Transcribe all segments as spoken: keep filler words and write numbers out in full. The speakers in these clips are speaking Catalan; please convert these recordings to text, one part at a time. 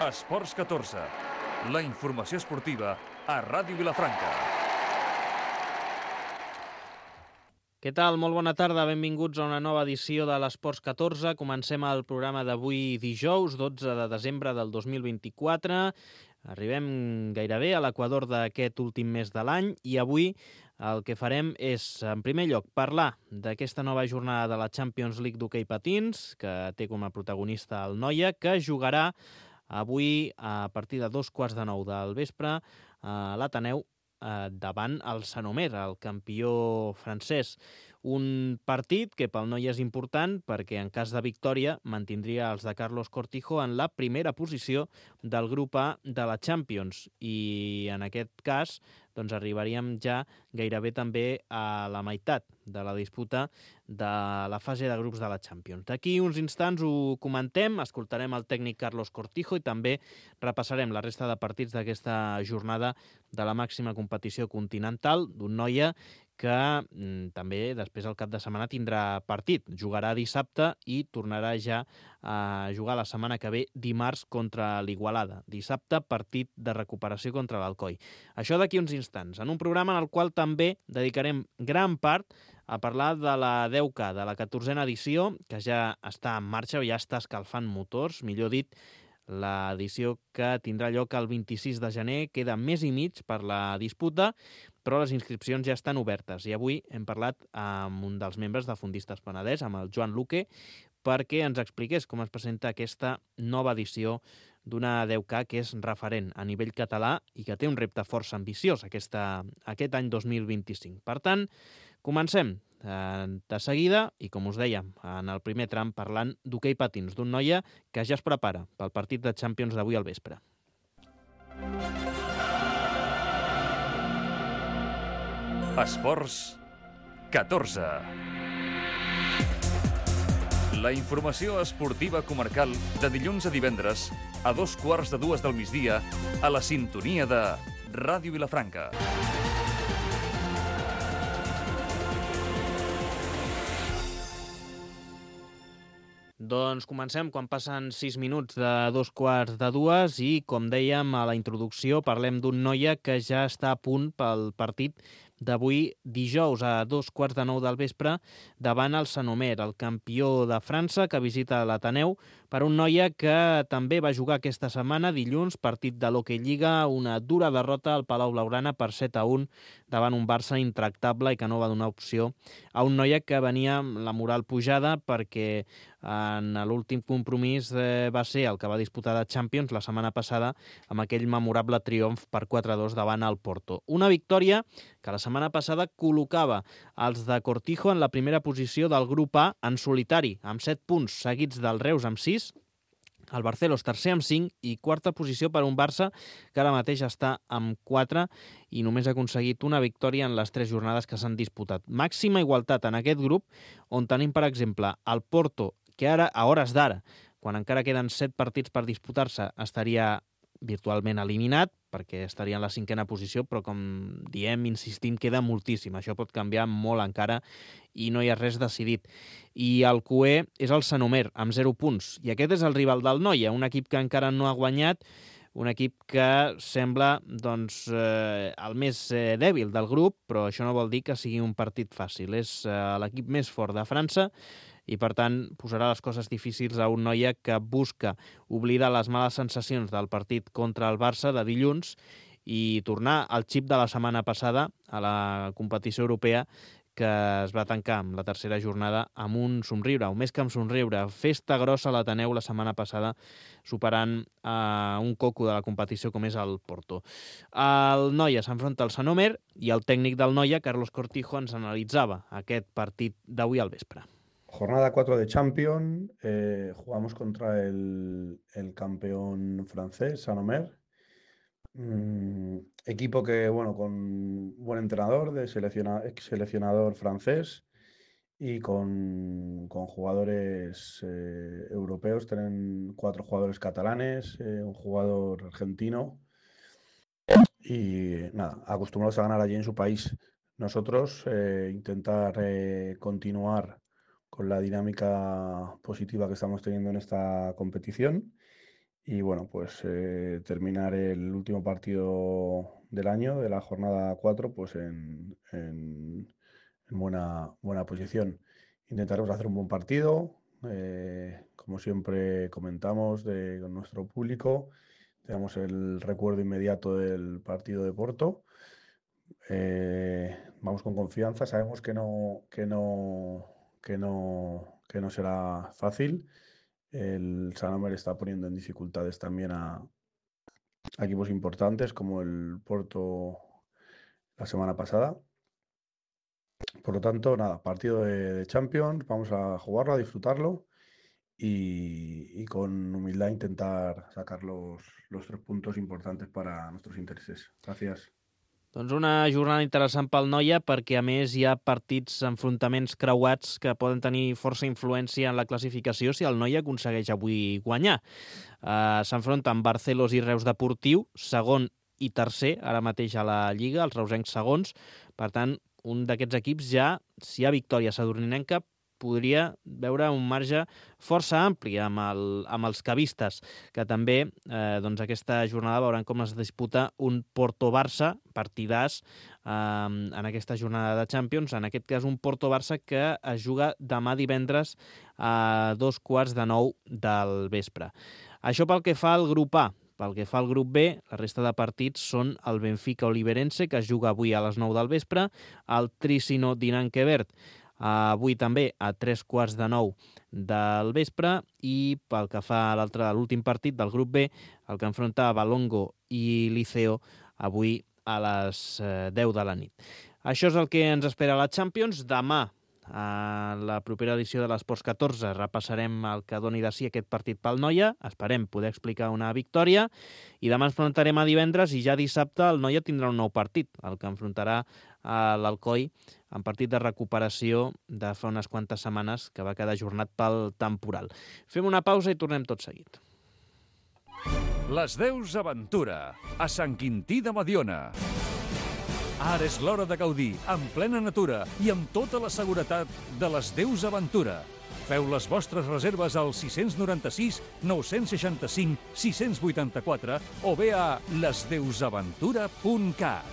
Esports catorze, la informació esportiva a Ràdio Vilafranca. Què tal? Molt bona tarda, benvinguts a una nova edició de l'Esports catorze. Comencem el programa d'avui dijous, dotze de desembre del dos mil vint-i-quatre. Arribem gairebé a l'equador d'aquest últim mes de l'any i avui el que farem és, en primer lloc, parlar d'aquesta nova jornada de la Champions League d'hoquei patins, que té com a protagonista el Noia, que jugarà avui a partir de dos quarts de nou del vespre a l'Ateneu davant el Saint-Omer, el campió francès. Un partit que pel Noia és important perquè en cas de victòria mantindria els de Carlos Cortijo en la primera posició del grup A de la Champions i en aquest cas doncs arribaríem ja gairebé també a la meitat de la disputa de la fase de grups de la Champions. D'aquí uns instants ho comentem, escoltarem el tècnic Carlos Cortijo i també repassarem la resta de partits d'aquesta jornada de la màxima competició continental d'un Noia que mm, també després al cap de setmana tindrà partit. Jugarà dissabte i tornarà ja a jugar la setmana que ve dimarts contra l'Igualada. Dissabte, partit de recuperació contra l'Alcoi. Això d'aquí uns instants, en un programa en el qual també dedicarem gran part a parlar de la deu K, de la catorzena edició, que ja està en marxa, ja està escalfant motors, millor dit, l'edició que tindrà lloc el vint-i-sis de gener. Queda més i mig per la disputa, però les inscripcions ja estan obertes. I avui hem parlat amb un dels membres de Fundistes Penedès, amb el Joan Luque, perquè ens expliqués com es presenta aquesta nova edició d'una deu K que és referent a nivell català i que té un repte força ambiciós aquesta, aquest any dos mil vint-i-cinc. Per tant, comencem de seguida i, com us dèiem, en el primer tram parlant d'hoquei patins, d'un Noia que ja es prepara pel partit de Champions d'avui al vespre. Esports catorze. La informació esportiva comarcal de dilluns a divendres a dos quarts de dues del migdia a la sintonia de Ràdio Vilafranca. Doncs comencem quan passen sis minuts de dos quarts de dues i, com dèiem a la introducció, parlem d'un Noia que ja està a punt pel partit d'avui dijous a dos quarts de nou del vespre davant el Saint-Omer, el campió de França que visita l'Ateneu, per un Noia que també va jugar aquesta setmana, dilluns, partit de l'Hockey Lliga, una dura derrota al Palau Blaugrana per set a un davant un Barça intractable i que no va donar opció a un Noia que venia amb la moral pujada perquè en l'últim compromís eh, va ser el que va disputar de Champions la setmana passada amb aquell memorable triomf per quatre a dos davant el Porto. Una victòria que la setmana passada col·locava els de Cortijo en la primera posició del grup A en solitari, amb set punts seguits del Reus amb sis, el Barcelos tercer amb cinc i quarta posició per un Barça que ara mateix està amb quatre i només ha aconseguit una victòria en les tres jornades que s'han disputat. Màxima igualtat en aquest grup on tenim, per exemple, el Porto, que ara, a hores d'ara, quan encara queden set partits per disputar-se, estaria virtualment eliminat, perquè estaria en la cinquena posició, però com diem, insistim, queda moltíssim. Això pot canviar molt encara i no hi ha res decidit. I el cuer és el Saint-Omer, amb zero punts. I aquest és el rival del Noia, un equip que encara no ha guanyat, un equip que sembla doncs, eh, el més eh, dèbil del grup, però això no vol dir que sigui un partit fàcil. És eh, l'equip més fort de França i, per tant, posarà les coses difícils a un Noia que busca oblidar les males sensacions del partit contra el Barça de dilluns i tornar al xip de la setmana passada a la competició europea que es va tancar amb la tercera jornada amb un somriure, o més que amb somriure, festa grossa a l'Ateneu la setmana passada, superant uh, un coco de la competició com és el Porto. El Noia s'enfronta al Saint-Omer i el tècnic del Noia, Carlos Cortijo, ens analitzava aquest partit d'avui al vespre. Jornada cuatro de Champions, eh, jugamos contra el, el campeón francés, Saint-Omer. Mm, equipo que, bueno, con buen entrenador, de selecciona, ex seleccionador francés y con, con jugadores eh, europeos. Tienen cuatro jugadores catalanes, eh, un jugador argentino y nada, acostumbrados a ganar allí en su país. Nosotros eh, intentar eh, continuar con la dinámica positiva que estamos teniendo en esta competición y bueno, pues eh, terminar el último partido del año, de la jornada cuatro, pues en, en- en buena, buena posición. Intentaremos hacer un buen partido, eh, como siempre comentamos de, con nuestro público. Tenemos el recuerdo inmediato del partido de Porto. Eh, vamos con confianza, sabemos que no, que no, que no, que no será fácil. El Sanomer está poniendo en dificultades también a, a equipos importantes como el Porto la semana pasada. Por lo tanto, nada, partido de, de Champions, vamos a jugarlo, a disfrutarlo y, y con humildad intentar sacar los, los tres puntos importantes para nuestros intereses. Gracias. Doncs una jornada interessant pel Noia perquè, a més, hi ha partits, enfrontaments creuats que poden tenir força influència en la classificació si el Noia aconsegueix avui guanyar. Uh, S'enfronten Barcelos i Reus Deportiu, segon i tercer, ara mateix a la Lliga, els reusencs segons. Per tant, un d'aquests equips ja, si hi ha victòria sadurninenca, podria veure un marge força ampli amb, el, amb els cavistes, que també eh, doncs aquesta jornada veuran com es disputa un Porto-Barça, partidàs eh, en aquesta jornada de Champions, en aquest cas un Porto-Barça que es juga demà divendres a dos quarts de nou del vespre. Això pel que fa al grup A. Pel que fa al grup B, la resta de partits són el Benfica Oliveirense, que es juga avui a les nou del vespre, el Tricino Dinanque Verd, avui també a tres quarts de nou del vespre, i pel que fa a l'altre, l'últim partit del grup B, el que enfronta Valongo i Liceo avui a les deu de la nit. Això és el que ens espera a la Champions. Demà, a la propera edició de l'Esports catorze, repassarem el que doni de si aquest partit pel Noia. Esperem poder explicar una victòria. I demà ens plantarem a divendres i ja dissabte el Noia tindrà un nou partit, el que enfrontarà a l'Alcoi en partit de recuperació de fa unes quantes setmanes que va quedar ajornat pel temporal. Fem una pausa i tornem tot seguit. Les Deus Aventura, a Sant Quintí de Mediona. Ara és l'hora de gaudir, en plena natura i amb tota la seguretat de les Deus Aventura. Feu les vostres reserves al sis nou sis, nou sis cinc, sis vuit quatre o bé a les deus aventura punt cat.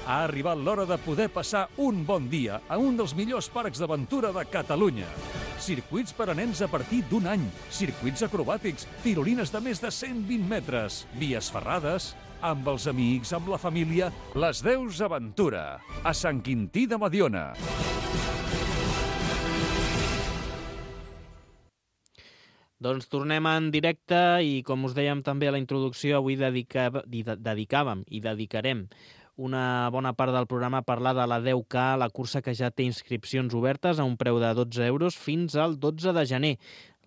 Ha arribat l'hora de poder passar un bon dia a un dels millors parcs d'aventura de Catalunya. Circuits per a nens a partir d'un any, circuits acrobàtics, tirolines de més de cent vint metres, vies ferrades, amb els amics, amb la família, les Deus Aventura, a Sant Quintí de Mediona. Doncs tornem en directe i, com us dèiem també a la introducció, avui dedicava, dedicàvem i dedicarem una bona part del programa a parlar de la deu K, la cursa que ja té inscripcions obertes a un preu de dotze euros fins al dotze de gener.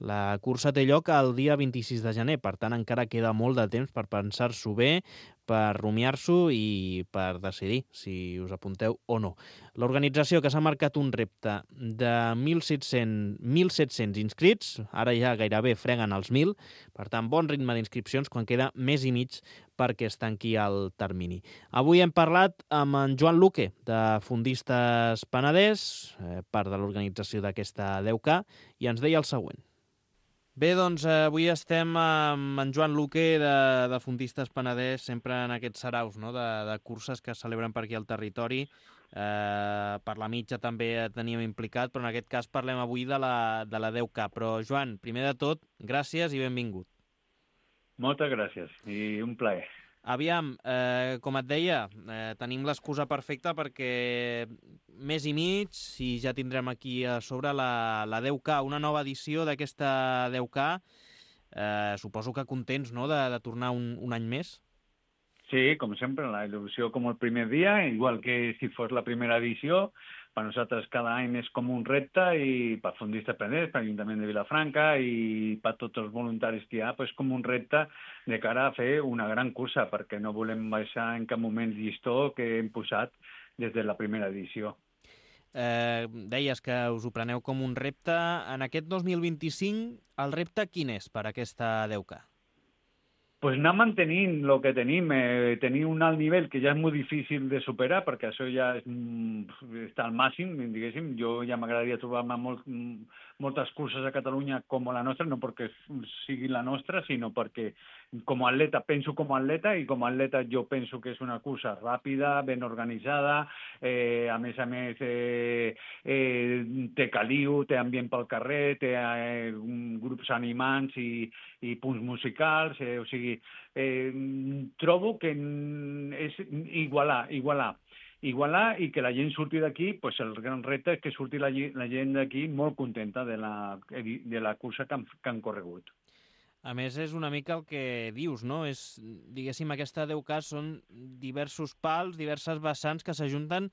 La cursa té lloc el dia vint-i-sis de gener, per tant encara queda molt de temps per pensar-s'ho bé, per rumiar-s'ho i per decidir si us apunteu o no. L'organització, que s'ha marcat un repte de mil set-cents inscrits, ara ja gairebé freguen els mil, per tant bon ritme d'inscripcions quan queda mes i mig perquè es tanqui el termini. Avui hem parlat amb en Joan Luque, de Fundistes Penedès, eh, part de l'organització d'aquesta deu K, i ens deia el següent. Bé, doncs avui estem amb en Joan Luque de, de Fundistes Penedès, sempre en aquests saraus, no?, de, de curses que es celebren per aquí al territori. Eh, per la mitja també teníem implicat, però en aquest cas parlem avui de la, de la deu K. Però, Joan, primer de tot, gràcies i benvingut. Moltes gràcies i un plaer. Aviam, eh, com et deia, eh, tenim l'excusa perfecta perquè mes i mig i ja tindrem aquí a sobre la, la deu K, una nova edició d'aquesta deu K. Eh, suposo que contents, no?, de, de tornar un, un any més. Sí, com sempre, la il·lusió com el primer dia, igual que si fos la primera edició. Per nosaltres cada any és com un repte i per Fundistes Penedès, per l'Ajuntament de Vilafranca i per tots els voluntaris que hi ha, és com un repte de cara a fer una gran cursa, perquè no volem baixar en cap moment el llistó que hem posat des de la primera edició. Eh, deies que us ho preneu com un repte. En aquest dos mil vint-i-cinc, el repte quin és per aquesta deu K? Pues anar mantenint el que tenim, eh, tenir un alt nivell que ja és molt difícil de superar, perquè això ja és, està al màxim, diguéssim. Jo ja m'agradaria trobar-me molt, moltes curses a Catalunya com la nostra, no perquè sigui la nostra, sinó perquè com a atleta penso com a atleta i com a atleta jo penso que és una cursa ràpida, ben organitzada, eh, a més a més eh, eh, té caliu, té ambient pel carrer, té eh, grups animants i, i punts musicals, eh, o sigui, eh, trobo que és igualar, igualar. Igualar i que la gent surti d'aquí, pues el gran repte és que surti la, la gent d'aquí molt contenta de la, de la cursa que han, que han corregut. A més, és una mica el que dius, no? És, diguéssim, aquesta deu K són diversos pals, diverses vessants que s'ajunten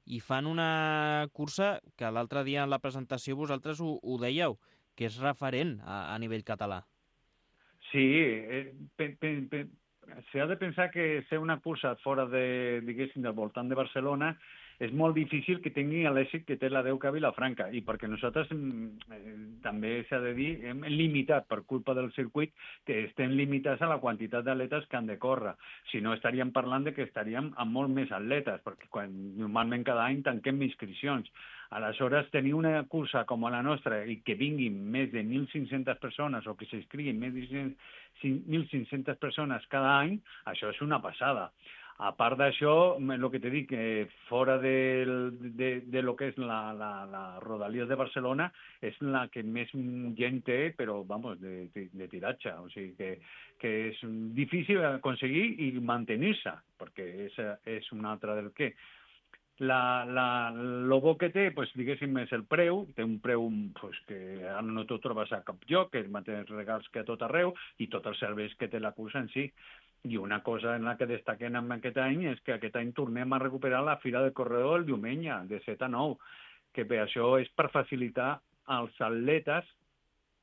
i fan una cursa que l'altre dia en la presentació vosaltres ho, ho dèieu, que és referent a, a nivell català. Sí, eh, pe, pe, pe, s'ha de pensar que ser una cursa fora de, diguéssim, del voltant de Barcelona és molt difícil que tingui l'èxit que té la deu K a Vilafranca, i perquè nosaltres eh, també s'ha de dir, hem limitat per culpa del circuit, que estem limitats a la quantitat d'atletes que han de córrer. Si no, estaríem parlant de que estaríem amb molt més atletes, perquè quan, normalment cada any tanquem inscripcions. Aleshores, tenir una cursa com la nostra i que vinguin més de mil cinc-centes persones o que s'inscriguin més de mil cinc-centes persones cada any, això és una passada. A part d'això, el que t'he dit, que fora de, de, de lo que és la, la, la Rodalies de Barcelona, és la que més gent té, però, vamos, de, de, de tiratge. O sigui, que, que és difícil aconseguir i mantenir-se, perquè és, és un altre del què. La, la, lo bo que té, pues, diguéssim, és el preu. Té un preu pues, que ara no t'ho trobes a cap lloc, que és mateix regals que a tot arreu, i tots els serveis que té la cursa en si. I una cosa en la que destaquem en aquest any és que aquest any tornem a recuperar la Fira del Corredor el diumenge, de set a nou, que per això és per facilitar als atletes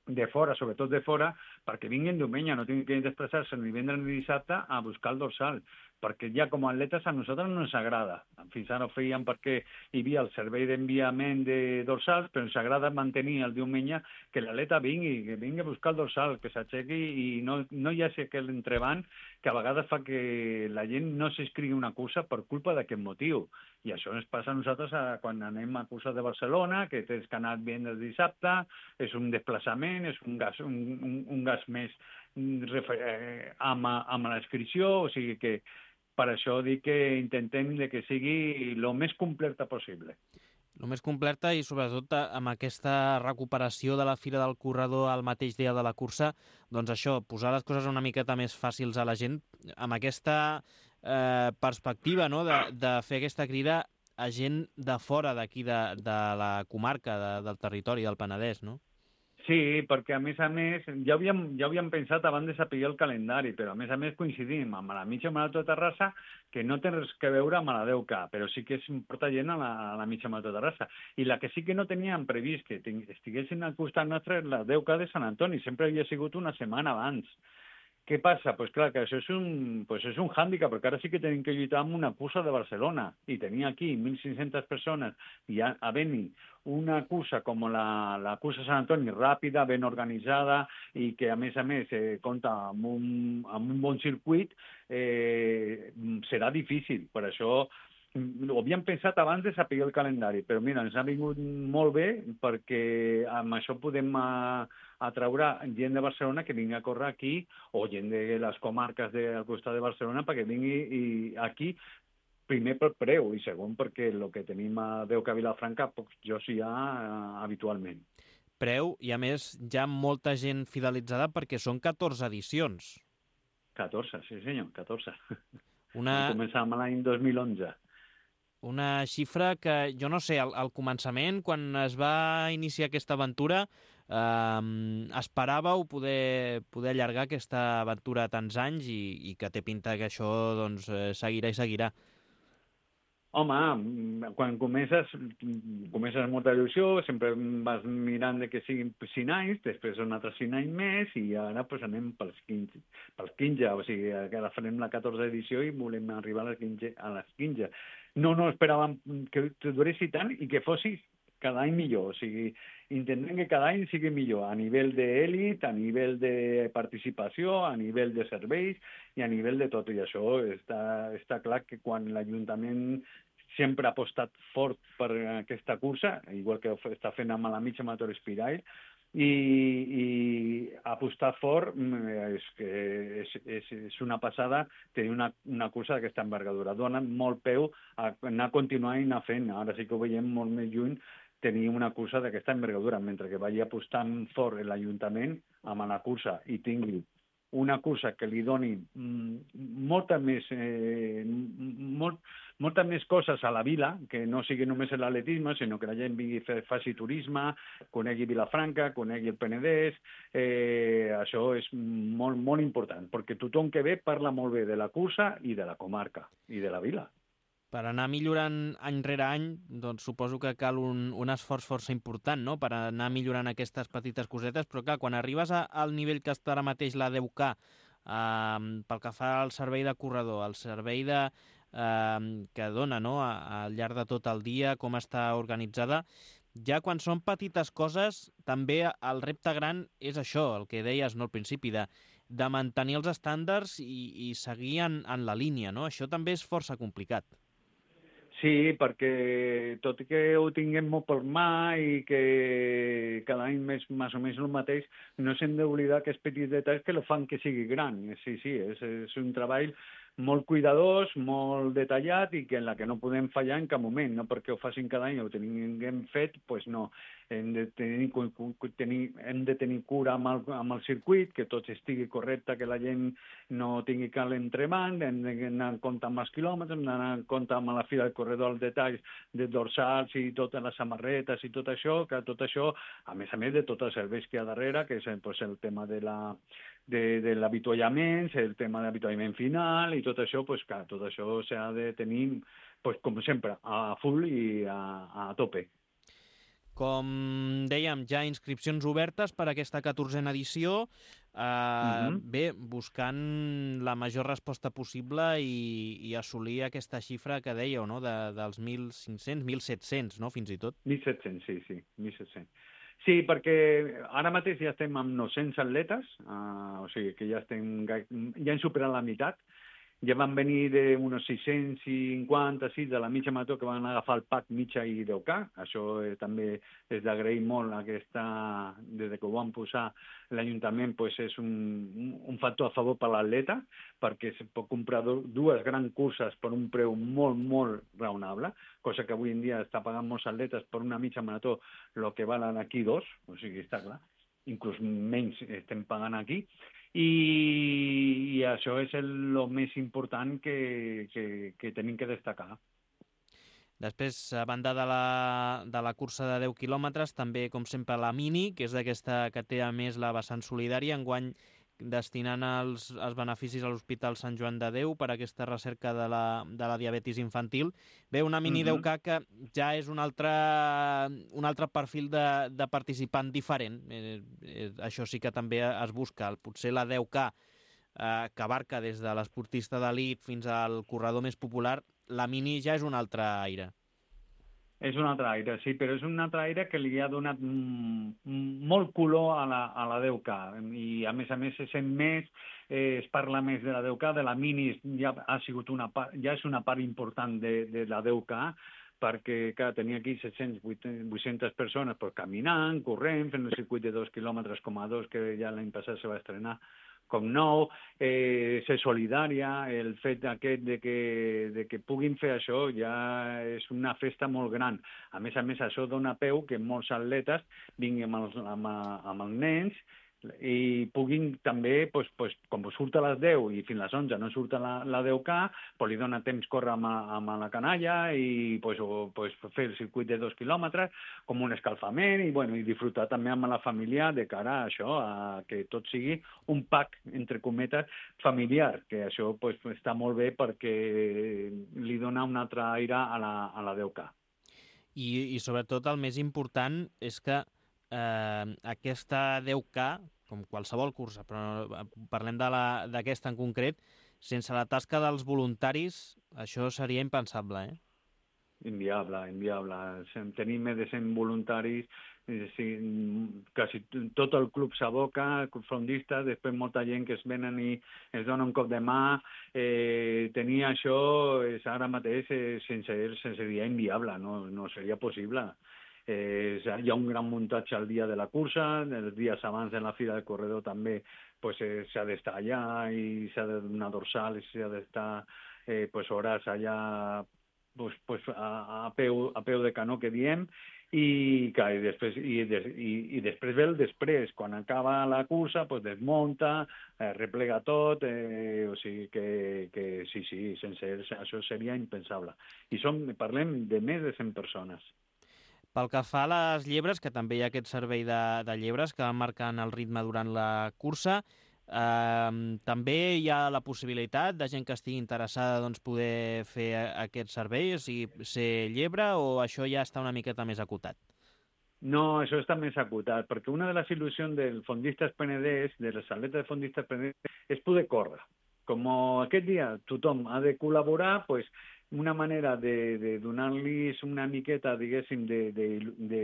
de fora, sobretot de fora, perquè vinguin diumenge, no tinguin que desplaçar-se ni vendre ni dissabte a buscar el dorsal, perquè ja com a atletes a nosaltres no ens agrada. Fins ara ho fèiem perquè hi havia el servei d'enviament de dorsals, però ens agrada mantenir el diumenge que l'atleta vingui, que vingui a buscar el dorsal, que s'aixequi i no, no hi hagi aquell entrebanc que a vegades fa que la gent no s'inscrigui una cursa per culpa d'aquest motiu. I això ens passa a nosaltres a, quan anem a curses de Barcelona, que tens que anar bien el dissabte, és un desplaçament, és un gas, un, un, un gas més eh, amb, amb la inscripció, o sigui que per això dic que intentem de que sigui el més completa possible. El més completa i sobretot amb aquesta recuperació de la Fira del Corredor al mateix dia de la cursa, doncs això, posar les coses una miqueta més fàcils a la gent, amb aquesta eh, perspectiva, no?, de, de fer aquesta crida a gent de fora d'aquí, de, de la comarca, de, del territori del Penedès, no? Sí, perquè a més a més, ja havíem, ja havíem pensat abans de saber el calendari, però a més a més coincidim amb la mitja marató de Terrassa, que no té res que veure amb la deu K, però sí que es porta gent a la, a la mitja marató de Terrassa. I la que sí que no teníem previst que estiguessin al costat nostre és la deu K de Sant Antoni, sempre havia sigut una setmana abans. Què passa? Pues clar, que això és un, pues és un hàndicap, perquè ara sí que tenim que lluitar amb una cursa de Barcelona, i tenir aquí mil cinc-centes persones i havent-hi una cursa com la, la cursa Sant Antoni, ràpida, ben organitzada, i que a més a més eh, compta amb un, amb un bon circuit, eh, serà difícil. Per això ho havíem pensat abans de saber el calendari, però mira, ens ha vingut molt bé perquè amb això podem a, atraure gent de Barcelona que vingui a córrer aquí, o gent de les comarques del costat de Barcelona perquè vingui i aquí, primer per preu i segon perquè el que tenim a deu K a Vilafranca pocs jocs hi ha uh, habitualment. Preu i a més ja molta gent fidelitzada perquè són catorze edicions. catorze, sí senyor, catorze. Una... Vam començar amb l'any dos mil onze. Una xifra que, jo no sé, al, al començament, quan es va iniciar aquesta aventura, eh, esperàveu poder, poder allargar aquesta aventura a tants anys i, i que té pinta que això doncs, seguirà i seguirà. Home, quan comences, comences amb molta il·lusió, sempre vas mirant de que siguin cinc anys, després un altre cinc anys més, i ara pues, anem pels quinze, pels quinze, o sigui, ara farem la catorze edició i volem arribar a les quinze. A les quinze. No, no esperàvem que duressi tant i que fossi cada any millor, o sigui, intentem que cada any sigui millor, a nivell d'èlit, a nivell de participació, a nivell de serveis i a nivell de tot, i això està, està clar que quan l'Ajuntament sempre ha apostat fort per aquesta cursa, igual que està fent amb la mitja marató Espirail, i, i apostar fort és, és, és, és una passada tenir una, una cursa d'aquesta envergadura. Dona molt peu a anar continuant i anar fent. Ara sí que ho veiem molt més lluny, tenir una cursa d'aquesta envergadura, mentre que vagi apostant fort l'Ajuntament amb la cursa i tingui una cursa que li doni molta més, eh, molt, molta més coses a la vila, que no sigui només l'atletisme, sinó que la gent vingui a fer, faci turisme, conegui Vilafranca, conegui el Penedès, eh, això és molt, molt important, perquè tothom que ve parla molt bé de la cursa i de la comarca i de la vila. Per anar millorant any rere any, doncs suposo que cal un, un esforç força important, no?, per anar millorant aquestes petites cosetes, però clar, quan arribes a, al nivell que està ara mateix la deu K, eh, pel que fa al servei de corredor, el servei de, eh, que dona, no?, a, al llarg de tot el dia, com està organitzada, ja quan són petites coses, també el repte gran és això, el que deies no, al principi, de, de mantenir els estàndards i, i seguir en, en la línia, no? Això també és força complicat. Sí, perquè tot i que ho tinguem molt per mà i que cada any més, més o menys el mateix, no s'hem d'oblidar aquests petits detalls que el fan que sigui gran. Sí, sí, és, és un treball molt cuidadós, molt detallat i que en la que no podem fallar en cap moment, no perquè ho facin cada any o ho tinguem fet, doncs no. Hem de tenir, tenir, hem de tenir cura amb el, amb el circuit, que tot estigui correcte, que la gent no tingui cal entrebanc, hem d'anar en compte amb els quilòmetres, hem d'anar en compte amb la fila del corredor, els detalls de dorsals i totes les samarretes i tot això, que tot això, a més a més de tots els serveis que hi ha darrere, que és pues, el tema de la de, de l'avituallament, el tema de l'avituallament final i tot això, pues, clar, tot això s'ha de tenir, pues, com sempre, a full i a, a tope. Com dèiem, ja inscripcions obertes per a aquesta catorzena edició, eh, uh-huh. bé, buscant la major resposta possible i, i assolir aquesta xifra que dèieu, no?, de, dels mil cinc-cents, mil set-cents, no?, fins i tot. mil set-cents, sí, sí, mil set-cents. Sí, perquè ara mateix ja estem amb nou-cents atletes, uh, o sigui que ja estem, ja hem superat la meitat. Ja van venir d'uns sis-cents cinquanta, sis de la mitja marató que van agafar el pack mitja i deu K. Això eh, també és d'agrair molt aquesta, des que ho van posar l'Ajuntament, pues és un, un factor a favor per l'atleta, perquè es pot comprar do, dues grans curses per un preu molt, molt raonable, cosa que avui en dia està pagant molts atletes per una mitja marató el que valen aquí dos, o sigui, està clar, inclús menys estem pagant aquí, i, i això és el, el més important que, que, que tenim que destacar. Després, a banda de la, de la cursa de deu quilòmetres, també, com sempre, la Mini, que és d'aquesta que té a més la vessant solidària, enguany destinant els, els beneficis a l'Hospital Sant Joan de Déu per a aquesta recerca de la, de la diabetis infantil. Bé, una Mini uh-huh. deu K que ja és un altre, un altre perfil de, de participant diferent. Eh, eh, això sí que també es busca. Potser la deu K, eh, que abarca des de l'esportista d'elit fins al corredor més popular, la Mini ja és un altre aire. És un altre aire, sí, però és un altre aire que li ha donat molt color a la, a la deu K. I, a més a més, se sent més, eh, es parla més de la deu K, de la Mini ja ha sigut una part, ja és una part important de, de la deu K, perquè clar, tenia aquí set-cents, vuit-centes persones pues, caminant, corrent, fent el circuit de dos quilòmetres coma dos, que ja l'any passat se va estrenar com nou, eh, ser solidària, el fet aquest de que, de que puguin fer això ja és una festa molt gran. A més a més, això dona peu que molts atletes vinguin amb els, amb, amb els nens i puguin també, pues, pues, com surt a les deu i fins a les onze no surt la, la deu K, pues, li dona temps córrer amb, amb la canalla i pues, o, pues, fer el circuit de dos quilòmetres com un escalfament i, bueno, i disfrutar també amb la família de cara a això, a que tot sigui un pack, entre cometes, familiar, que això pues, està molt bé perquè li dona un altre aire a la, a la deu K. I, i sobretot el més important és que eh, aquesta deu K, com qualsevol cursa, però parlem d'aquesta en concret, sense la tasca dels voluntaris, això seria impensable, eh? Inviable, inviable. Tenim més de cent voluntaris sí, quasi tot el club s'aboca, fondistes, després molta gent que es venen i es dona un cop de mà. Eh, tenir això és ara mateix eh, sense, sense dia inviable, no, no seria possible. Eh, hi ha un gran muntatge al dia de la cursa, els dies abans de la fira del corredor també pues, eh, s'ha d'estar allà i s'ha de donar dorsal i s'ha d'estar eh, pues, hores allà pues, pues, a, a, peu, a peu de canó que diem i, clar, i, després, i, des, i, i després ve el després, quan acaba la cursa pues, desmunta, eh, replega tot, eh, o sigui que, que sí, sí, sense ells això seria impensable. I som, parlem de més de cent persones. Pel que fa a les llebres, que també hi ha aquest servei de, de llebres que van marcant el ritme durant la cursa, eh, també hi ha la possibilitat de gent que estigui interessada doncs, poder fer aquest servei, o sigui, ser llebre, o això ja està una miqueta més acotat? No, això està més acotat, perquè una de les il·lusions del fondistes penedès, de les atletes de fondistes penedès, és poder córrer. Com aquest dia tothom ha de col·laborar, pues, una manera de, de donar-los una miqueta, diguéssim, de, de, de,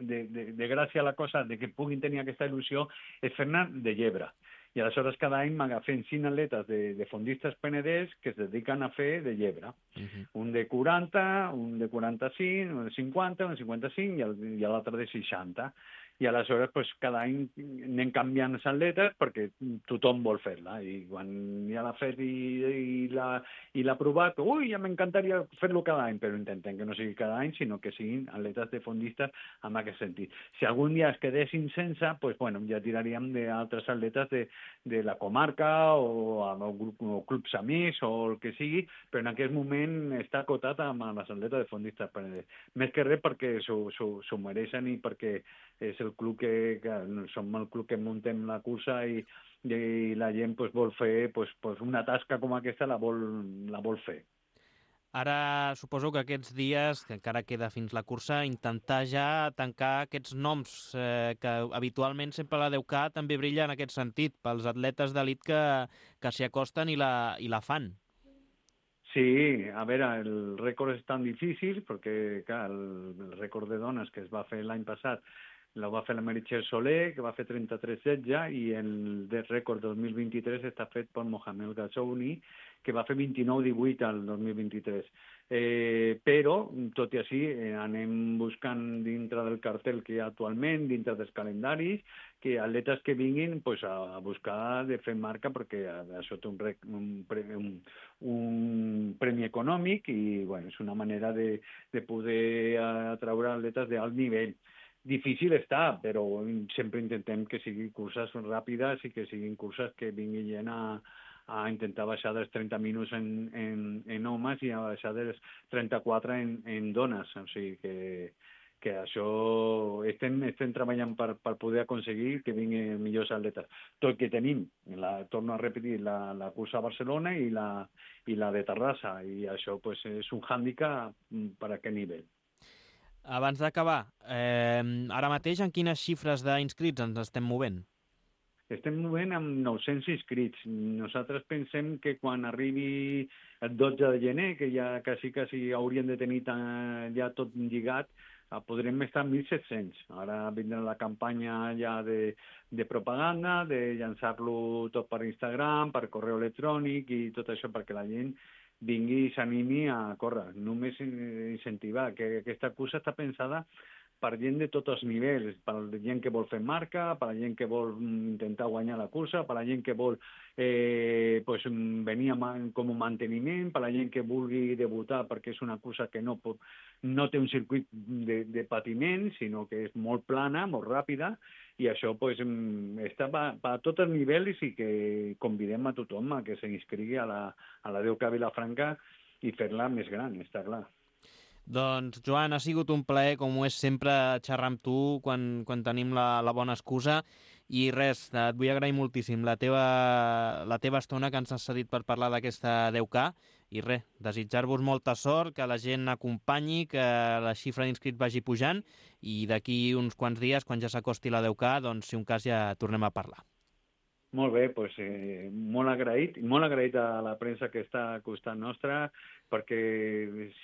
de, de, de gràcia a la cosa, de que puguin tenir aquesta il·lusió, és fer-ne de llebre. I aleshores cada any m'agafen cinc atletes de, de fondistes penedès que es dediquen a fer de llebre. Uh-huh. Un de quaranta, un de quaranta-cinc, un de cinquanta, un de cinquanta-cinc i l'altre de seixanta. I aleshores pues, cada any anem canviant les atletes perquè tothom vol fer-la. I quan ja l'ha fet i, i l'ha provat, ui, ja m'encantaria fer-lo cada any, però intentem que no sigui cada any, sinó que siguin atletes de fondistes en aquest sentit. Si algun dia es quedessin sense, pues, bueno, ja tiraríem d'altres atletes de, de la comarca o amb grup, o clubs amics o el que sigui, però en aquest moment està acotat amb les atletes de fondistes penedès. Més que res perquè s'ho mereixen i perquè és el club que, que som el club que muntem la cursa i, i la gent pues, vol fer pues, pues una tasca com aquesta la vol, la vol fer. Ara suposo que aquests dies, que encara queda fins la cursa, intentar ja tancar aquests noms eh, que habitualment sempre la deu ca també brilla en aquest sentit, pels atletes d'elit que, que s'hi acosten i la, i la fan. Sí, a veure, el rècord és tan difícil perquè clar, el, el rècord de dones que es va fer l'any passat la va fer la Meritxell Soler, que va fer trenta-tres setze, i el de rècord dos mil vint-i-tres està fet per Mohamed Ghazouani, que va fer vint-i-nou divuit al dos mil vint-i-tres. Eh, però, tot i així, eh, anem buscant dintre del cartel que hi ha actualment, dintre dels calendaris, que atletes que vinguin pues, a buscar de fer marca, perquè això té un, un, un, un premi econòmic i bueno, és una manera de, de poder atraure atletes d'alt nivell. Difícil està, però sempre intentem que siguin curses ràpides i que siguin curses que vinguin gent a, a intentar baixar dels trenta minuts en, en, en homes i a baixar dels trenta-quatre en, en dones. O sigui que, que això estem, estem treballant per, per poder aconseguir que vinguin millors atletes. Tot que tenim, la, torno a repetir, la, la cursa a Barcelona i la, i la de Terrassa, i això pues, és un hàndicap per a aquest nivell. Abans d'acabar, eh, ara mateix en quines xifres d'inscrits ens estem movent? Estem movent amb nou-cents inscrits. Nosaltres pensem que quan arribi el dotze de gener, que ja quasi, quasi hauríem de tenir ja tot lligat, podrem estar mil set-cents. Ara vindrà la campanya ja de, de propaganda, de llançar-lo tot per Instagram, per correu electrònic i tot això perquè la gent vingui i s'animi a córrer. Només incentivar, que aquesta cursa està pensada per gent de tots els nivells, per la gent que vol fer marca, per la gent que vol intentar guanyar la cursa, per la gent que vol eh, pues, venir a, com a manteniment, per la gent que vulgui debutar perquè és una cursa que no, pot, no té un circuit de, de patiment, sinó que és molt plana, molt ràpida, i això pues, està per, per tots els nivells i que convidem a tothom a que s'inscrigui a la, a la deu ca Vilafranca i fer-la més gran, està clar. Doncs, Joan, ha sigut un plaer, com ho és sempre, xerrar amb tu quan, quan tenim la, la bona excusa. I res, et vull agrair moltíssim la teva, la teva estona que ens has cedit per parlar d'aquesta deu ca. I res, desitjar-vos molta sort, que la gent acompanyi, que la xifra d'inscrits vagi pujant i d'aquí uns quants dies, quan ja s'acosti la deu ca, doncs, si un cas ja tornem a parlar. Molt bé, doncs, eh, molt agraït, molt agraït a la premsa que està al costat nostre, perquè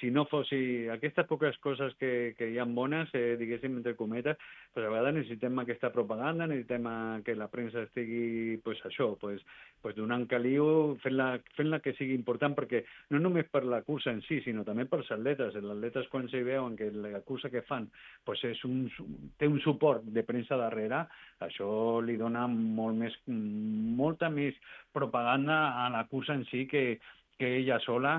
si no fossi aquestes poques coses que, que hi ha bones, eh, diguéssim, entre cometes, pues a vegades necessitem aquesta propaganda, necessitem que la premsa estigui, pues això, pues, pues donant caliu, fent-la fent-la que sigui important, perquè no només per la cursa en si, sinó també pels atletes. Els atletes, quan s'hi veuen que la cursa que fan pues és un, té un suport de premsa darrere, això li dona molt més, molta més propaganda a la cursa en si que, que ella sola,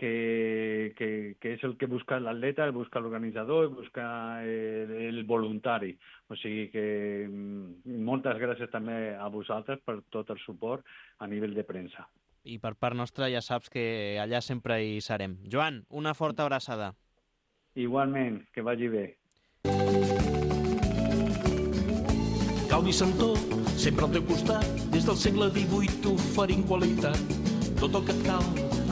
que, que, que és el que busca l'atleta, el busca l'organitzador, el busca el, el voluntari. O sigui que moltes gràcies també a vosaltres per tot el suport a nivell de premsa. I per part nostra ja saps que allà sempre hi serem. Joan, una forta abraçada. Igualment, que vagi bé. Calvi Santó, sempre al teu costat, des del segle divuit oferint qualitat. Tot el que et cal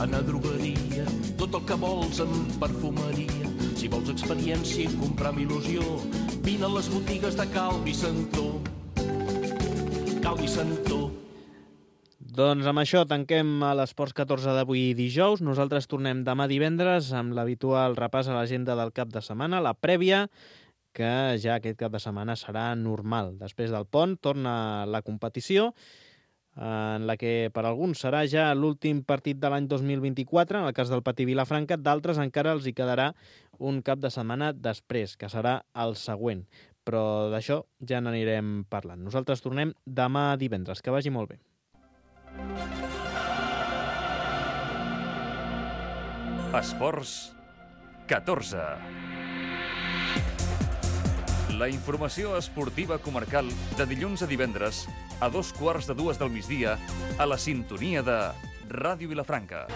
en a drogueria, tot el que vols en perfumeria. Si vols experiència i comprar amb il·lusió, vine a les botigues de Calvi Santó. Calvi Santó. Doncs amb això tanquem a l'Esports catorze d'avui dijous. Nosaltres tornem demà divendres amb l'habitual repàs a l'agenda del cap de setmana, la prèvia, que ja aquest cap de setmana serà normal. Després del pont torna la competició, en la que per alguns serà ja l'últim partit de l'any dos mil vint-i-quatre, en el cas del Patí Vilafranca, d'altres encara els hi quedarà un cap de setmana després, que serà el següent. Però d'això ja n'anirem parlant. Nosaltres tornem demà divendres. Que vagi molt bé. Esports catorze. La informació esportiva comarcal de dilluns a divendres a dos quarts de dues del migdia a la sintonia de Ràdio Vilafranca.